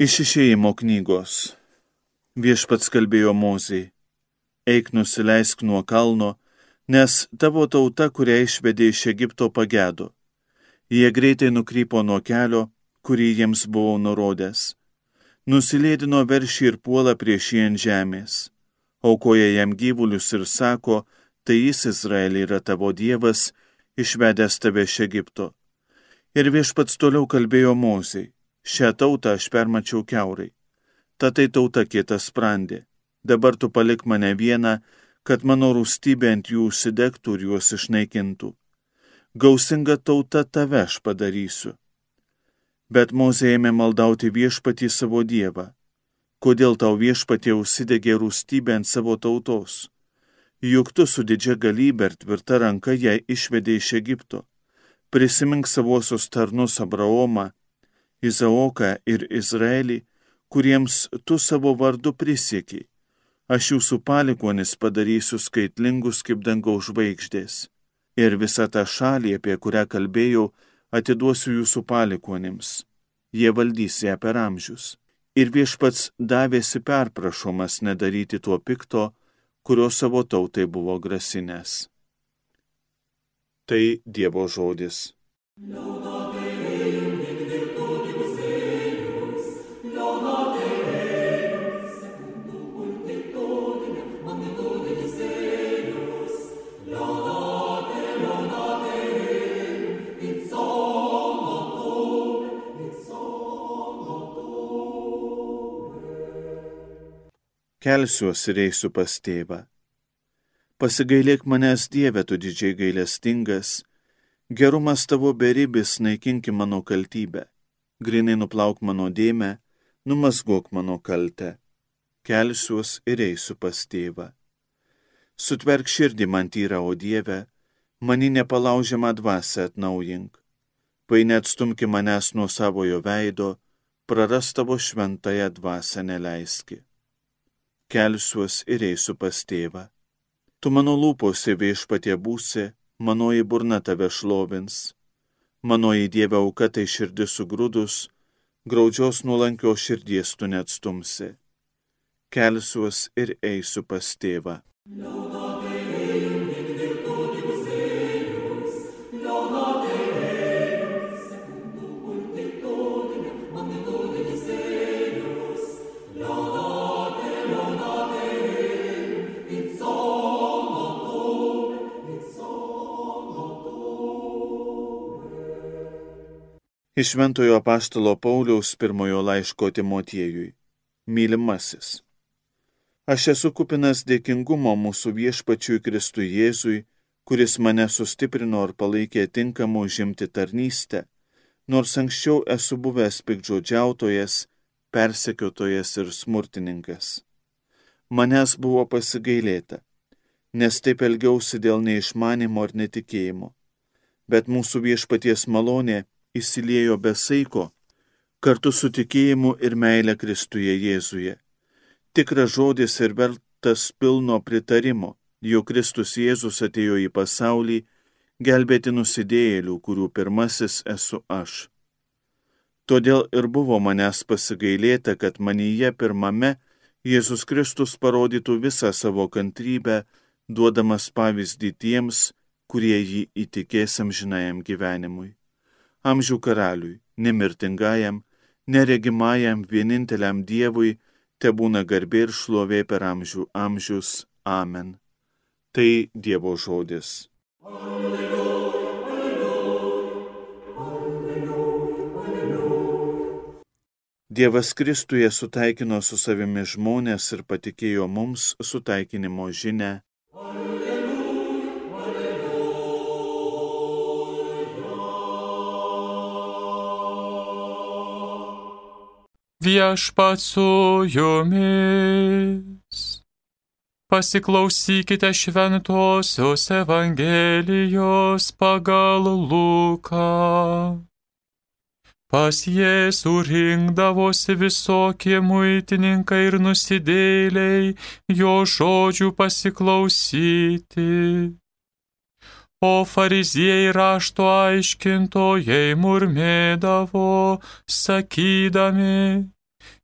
Iš Išėjimo knygos. Viešpats kalbėjo Mozei: eik, nusileisk nuo kalno, nes tavo tauta, kurią išvedė iš Egipto, pagedo. Jie greitai nukrypo nuo kelio, kurį jiems buvau nurodęs. Nusilėdino veršį ir puola prieš jį ant žemės. Aukoja jam gyvulius ir sako: tai jis, Izraeli, yra tavo Dievas, išvedęs tave iš Egipto. Ir Viešpats toliau kalbėjo Mozei: šią tautą aš permačiau kiaurai. Ta tai tauta kietasprandė. Dabar tu palik mane vieną, kad mano rūstybė ant jų užsidegtų ir juos išnaikintų. Gausinga tauta tave aš padarysiu. Bet Mozė ėmė maldauti Viešpatį savo Dievą: kodėl tau, Viešpatie, užsidegė rūstybė ant savo tautos? Juk tu su didžia galybė ir tvirta ranka ją išvedė iš Egipto. Prisimink savuosius tarnus Abraomą, Izaoką ir Izraelį, kuriems tu savo vardu prisiekiai. Aš jūsų palikuonis padarysiu skaitlingus kaip dangaus žvaigždės. Ir visą tą šalį, apie kurią kalbėjau, atiduosiu jūsų palikuonims. Jie valdys ją per amžius. Ir Viešpats davėsi perprašomas nedaryti tuo pikto, kurio savo tautai buvo grasinęs. Tai Dievo žodis. Kelsiuos ir eisiu pas tėvą. Pasigailėk manęs, Dieve, tu didžiai gailestingas, gerumas tavo beribis, naikinki mano kaltybę, grinai nuplauk mano dėmę, numazgok mano kaltę. Kelsiuos ir eisiu pas tėvą. Sutverk širdį man tyrą, o Dieve, mani nepalaužiamą dvasią atnaujink. Paine atstumki manęs nuo savojo veido, praras tavo šventąją dvasią neleiski. Kelsiuos ir eisiu pas tėvą. Tu mano lūpose, Viešpatie, būsi, manoji burna tave šlovins. Manoji Dieve auka tai širdis sugrūdus, graudžios nuolankios širdies tu neatstumsi. Kelsiuos ir eisiu pas tėvą. Iš Šventojo apaštalo Pauliaus pirmojo laiško Timotiejui. Mylimasis. Aš esu kupinas dėkingumo mūsų Viešpačiui Kristui Jėzui, kuris mane sustiprino ir palaikė tinkamą užimti tarnystę, nors anksčiau esu buvęs piktžodžiautojas, persekiotojas ir smurtininkas. Manęs buvo pasigailėta, nes taip elgiausi dėl neišmanimo ir netikėjimo, bet mūsų Viešpaties malonė įsiliejo be saiko, kartu su tikėjimu ir meile Kristuje Jėzuje. Tikras žodis ir vertas pilno pritarimo, jog Kristus Jėzus atėjo į pasaulį gelbėti nusidėjėlių, kurių pirmasis esu aš. Todėl ir buvo manęs pasigailėta, kad manyje pirmame Jėzus Kristus parodytų visą savo kantrybę, duodamas pavyzdį tiems, kurie jį įtikės amžinajam gyvenimui. Amžių karaliui, nemirtingajam, neregimajam, vieninteliam Dievui, tebūna garbė ir šlovė per amžių amžius. Amen. Tai Dievo žodis. Alleluja, alleluja, alleluja. Dievas Kristuje sutaikino su savimi žmonės ir patikėjo mums sutaikinimo žinią. Viešpats su jumis. Pasiklausykite Šventosios Evangelijos pagal Luką. Pas Jėzų rinkdavosi visokie muitininkai ir nusidėjėliai jo žodžių pasiklausyti. O fariziejai rašto aiškintojai murmėdavo, sakydami: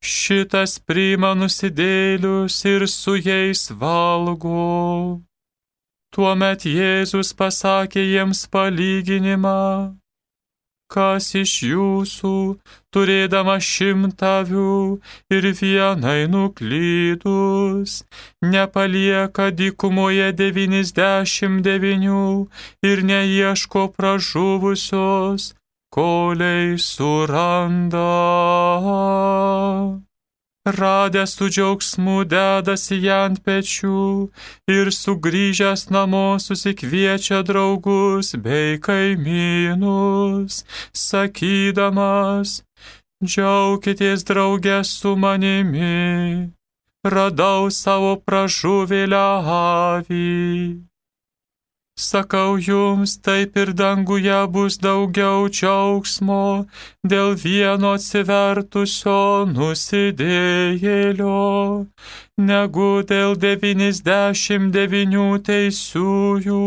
šitas priima nusidėlius ir su jais valgo. Tuomet Jėzus pasakė jiems palyginimą: kas iš jūsų, turėdama 100 avių ir vienai nuklydus, nepalieka dykumoje 99 ir neieško pražuvusios, kolei suranda. Radęs su džiaugsmu dedasi ją ant pečių ir sugrįžęs namo susikviečia draugus bei kaimynus, sakydamas: džiaukitės drauge su manimi, radau savo pražuvėlę avį. Sakau jums, taip ir danguje bus daugiau džiaugsmo dėl vieno atsivertusio nusidėjėlio, negu dėl 99 teisiųjų,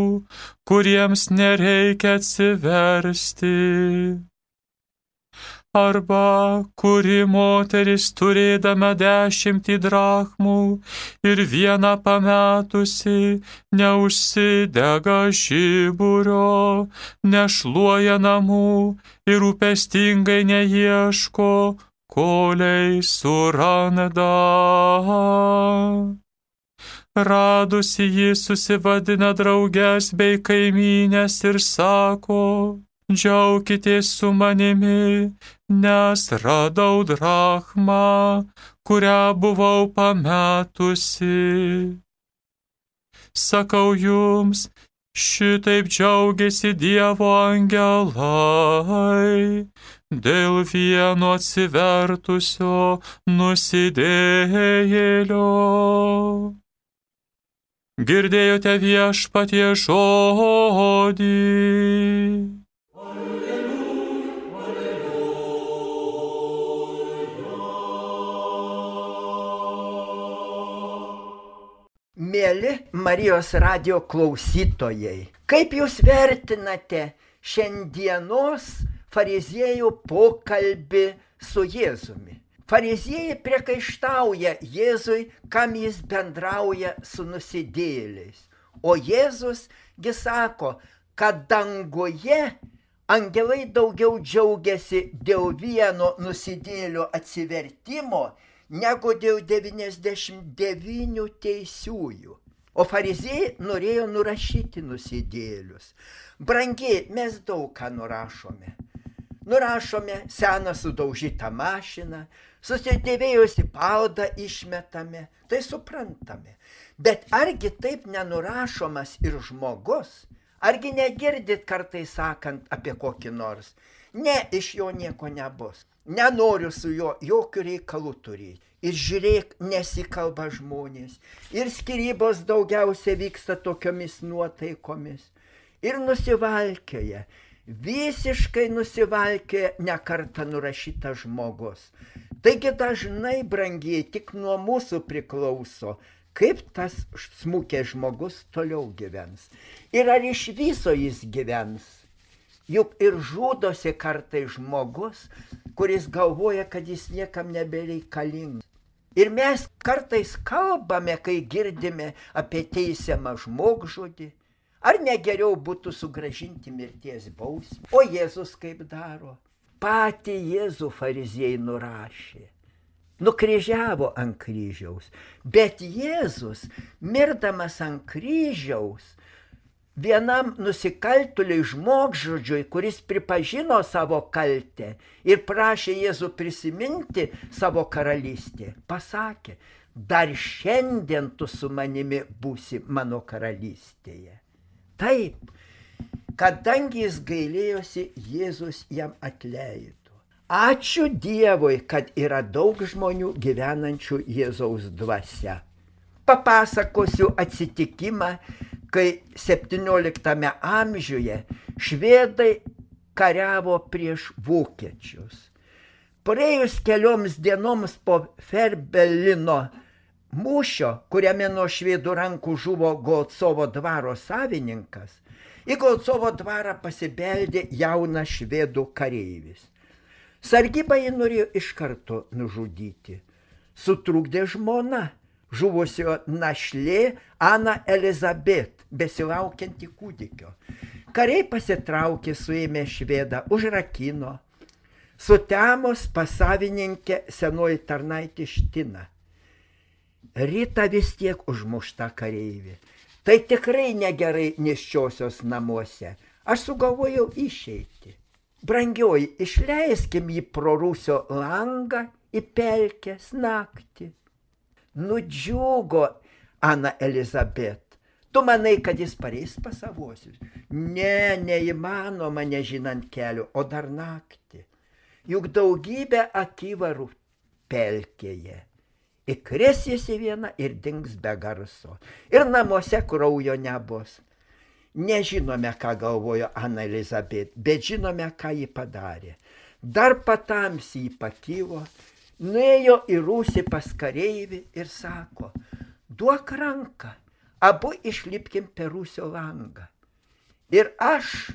kuriems nereikia atsiversti. Arba kuri moteris turėdama 10 drachmų ir vieną pametusi, neužsidega žiburio, nešluoja namų ir rūpestingai neieško, kolei suranda. Radusi jį susivadina drauges bei kaimynės ir sako: džiaukitės su manimi, nes radau drachmą, kurią buvau pametusi. Sakau jums, šitaip džiaugiasi Dievo angelai dėl vieno atsivertusio nusidėjėlio. Girdėjote Viešpaties žodį. Mėly Marijos radijo klausytojai, kaip jūs vertinate šiandienos fariziejų pokalbį su Jėzumi? Fariziejai priekaištauja Jėzui, kam jis bendrauja su nusidėjėliais. O Jėzus gi sako, kad danguje angelai daugiau džiaugiasi dėl vieno nusidėjėlio atsivertimo, negu dėl 99 teisiųjų. O fariziejai norėjo nurašyti nusidėjėlius. Brangiai, mes daug ką nurašome. Nurašome seną sudaužytą mašiną, susidėvėjusi paldą išmetame, tai suprantame. Bet argi taip nenurašomas ir žmogus? Argi negirdit kartais sakant apie kokį nors? Ne, iš jo nieko nebus. Nenoriu su juo jokių reikalų turėti. Ir žiūrėk, nesikalba žmonės. Ir skyrybos daugiausia vyksta tokiomis nuotaikomis. Ir nusivalkioja, visiškai nusivalkioja nekartą nurašytas žmogus. Taigi dažnai, brangiai, tik nuo mūsų priklauso, kaip tas smukęs žmogus toliau gyvens. Ir ar iš viso jis gyvens. Juk ir žudosi kartai žmogus, kuris galvoja, kad jis niekam nebereikalingas. Ir mes kartais kalbame, kai girdime apie teisiamą žmogžudį, ar negeriau būtų sugrąžinti mirties bausmę. O Jėzus kaip daro? Patį Jėzų fariziejai nurašė, nukryžiavo ant kryžiaus. Bet Jėzus, mirdamas ant kryžiaus, vienam nusikaltėliui žmogžudžiui, kuris pripažino savo kaltę ir prašė Jėzų prisiminti savo karalystę, pasakė: dar šiandien tu su manimi būsi mano karalystėje. Taip, kadangi jis gailėjosi, Jėzus jam atleido. Ačiū Dievui, kad yra daug žmonių gyvenančių Jėzaus dvasia. Papasakosiu atsitikimą, kai 17 amžiuje švedai kariavo prieš vokiečius. Praėjus kelioms dienoms po Ferbelino mūšio, kuriame nuo švedų rankų žuvo Golcovo dvaro savininkas, į Golcovo dvarą pasibeldė jaunas švedų kareivis. Sargybą jį norėjo iš karto nužudyti. Sutrukdė žmona, žuvusio našlė Ana Elizabet, besilaukianti kūdikio. Kariai pasitraukė, suėmė švedą, užrakino. Sutemos pas savininkę senoji tarnaitė Ština. Rytą vis tiek užmušta kareivė. Tai tikrai negerai nėščiosios namuose. Aš sugalvojau išeiti. Brangioji, išleiskim jį pro rūsio langą į pelkės naktį. Nudžiugo Ana Elizabet. Tu manai, kad jis pareis pas savuosius? Ne, neįmanoma nežinant kelio, o dar naktį. Juk daugybė akivarų pelkėje. Įkris jis į vieną ir dings be garso. Ir namuose kraujo nebus. Nežinome, ką galvojo Ana Elizabet, bet žinome, ką ji padarė. Dar patamsiai pakilo, nuėjo į rūsį pas kareivį ir sako, duok ranką, abu išlipkim per rūsio langą. Ir aš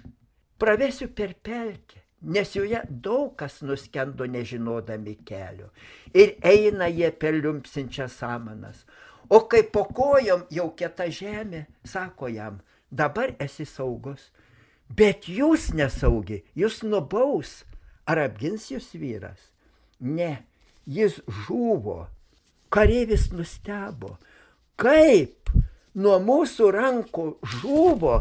pravesiu per pelkę, nes joje daug kas nuskendo nežinodami kelio. Ir eina jie per liumpsinčias samanas. O kai po kojom jau kieta žemė, sako jam, dabar esi saugus. Bet jūs nesaugi, jūs nubaus. Ar apgins jūs vyras? Ne, jis žuvo. Kareivis nustebo. Kaip? Nuo mūsų rankų žuvo,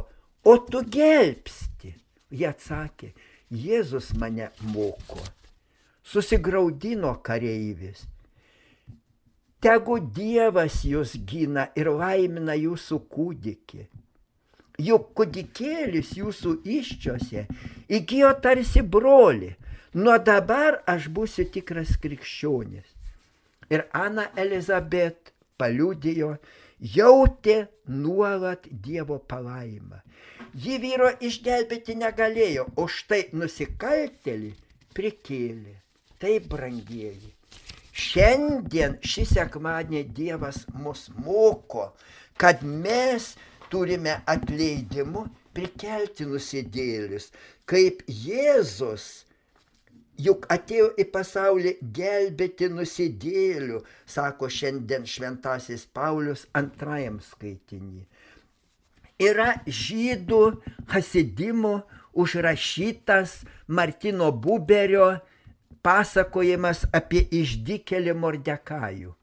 o tu gelbsti. Jie atsakė, Jėzus mane moko. Susigraudino kareivis. Tegu Dievas jūs gina ir laimina jūsų kūdikį. Juk kūdikėlis jūsų įsčiose įgijo tarsi brolį. Nuo dabar aš būsiu tikras krikščionis. Ir Ana Elizabet paliudijo, jautė nuolat Dievo palaimą. Ji vyro išgelbėti negalėjo, o štai nusikaltėlį prikėlė. Tai, brangieji, šiandien šį sekmadienį Dievas mus moko, kad mes turime atleidimu prikelti nusidėlius, kaip Jėzus juk atėjo į pasaulį gelbėti nusidėlių, sako šiandien šventasis Paulius antrajam skaitinį. Yra žydų hasidimų užrašytas Martino Buberio pasakojimas apie išdykėlį Mordekajų.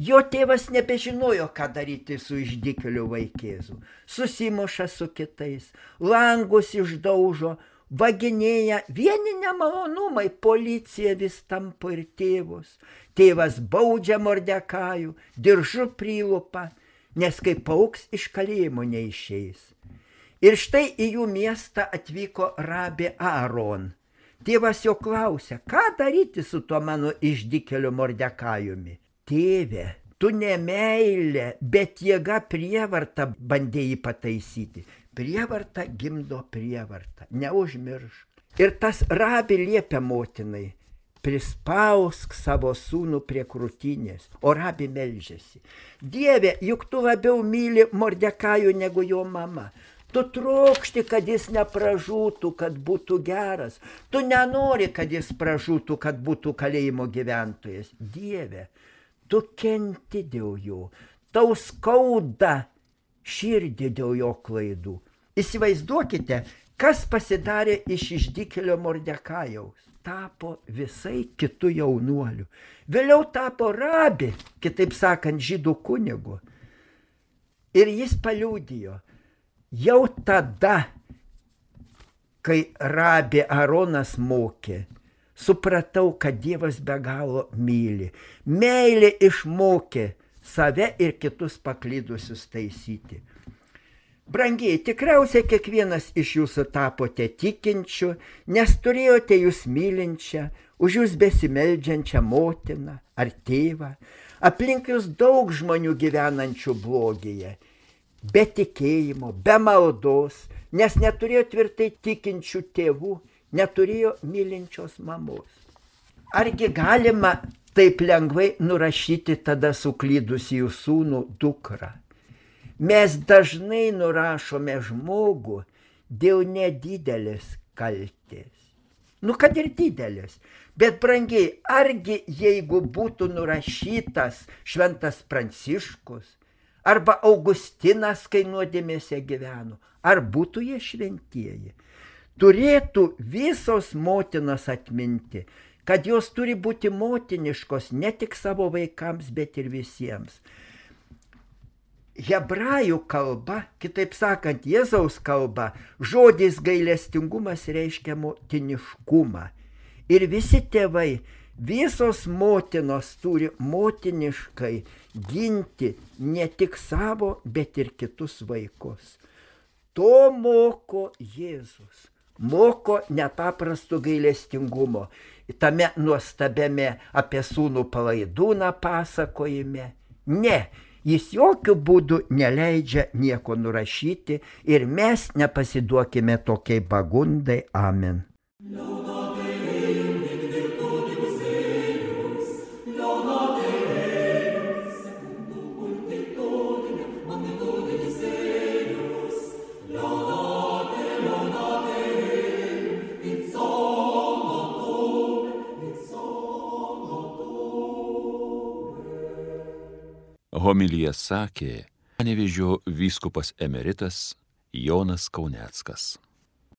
Jo tėvas nebežinojo, ką daryti su išdykėliu vaikėzu. Susimuša su kitais, langus išdaužo, vaginėja, vieni nemalonumai, policija vis tampo ir tėvus. Tėvas baudžia Mordekajų, diržu prilupa, nes kai pauks iš kalėjimo neišeis. Ir štai į jų miestą atvyko rabė Aaron. Tėvas jo klausia, ką daryti su tuo mano išdykėliu Mordekajumi? Tėve, tu ne meilė, bet jėga prievarta bandė jį pataisyti. Prievarta gimdo prievartą, neužmiršk. Ir tas rabė liepia motinai, prispausk savo sūnų prie krūtinės, o rabė meldžiasi. Dieve, juk tu labiau myli Mordekajų negu jo mama. Tu trokšti, kad jis nepražūtų, kad būtų geras. Tu nenori, kad jis pražūtų, kad būtų kalėjimo gyventojas. Dieve, tu kenti dėl jo, tau skauda širdį dėl jo klaidų. Įsivaizduokite, kas pasidarė iš išdykėlio Mordekajaus. Tapo visai kitų jaunuolių. Vėliau tapo rabė, kitaip sakant, žydų kunigu. Ir jis paliudijo, jau tada, kai rabė Aaronas mokė, supratau, kad Dievas be galo myli. Meilė išmokė save ir kitus paklydusius taisyti. Brangiai, tikriausiai kiekvienas iš jūsų tapote tikinčiu, nes turėjote jūs mylinčią, už jūs besimeldžiančią motiną ar tėvą, aplink jūs daug žmonių gyvenančių blogyje, be tikėjimo, be maldos, nes neturėjo tvirtai tikinčių tėvų, neturėjo mylinčios mamos. Argi galima taip lengvai nurašyti tada suklydusį jų sūnų dukrą? Mes dažnai nurašome žmogų dėl nedidelės kaltės. Nu, kad ir didelės. Bet, brangiai, argi jeigu būtų nurašytas šventas Pranciškus arba Augustinas, kai nuodėmėse gyveno, ar būtų jie šventieji? Turėtų visos motinos atminti, kad jos turi būti motiniškos ne tik savo vaikams, bet ir visiems. Hebrajų kalba, kitaip sakant, Jėzaus kalba, žodis gailestingumas reiškia motiniškumą. Ir visi tėvai, visos motinos turi motiniškai ginti ne tik savo, bet ir kitus vaikus. To moko Jėzus. Moko nepaprasto gailestingumo. Tame nuostabiame apie sūnų palaidūną pasakojime. Ne, jis jokių būdų neleidžia nieko nurašyti ir mes nepasiduokime tokiai pagundai. Amen. Homiliją sakė Panevėžio vyskupas emeritas Jonas Kauneckas.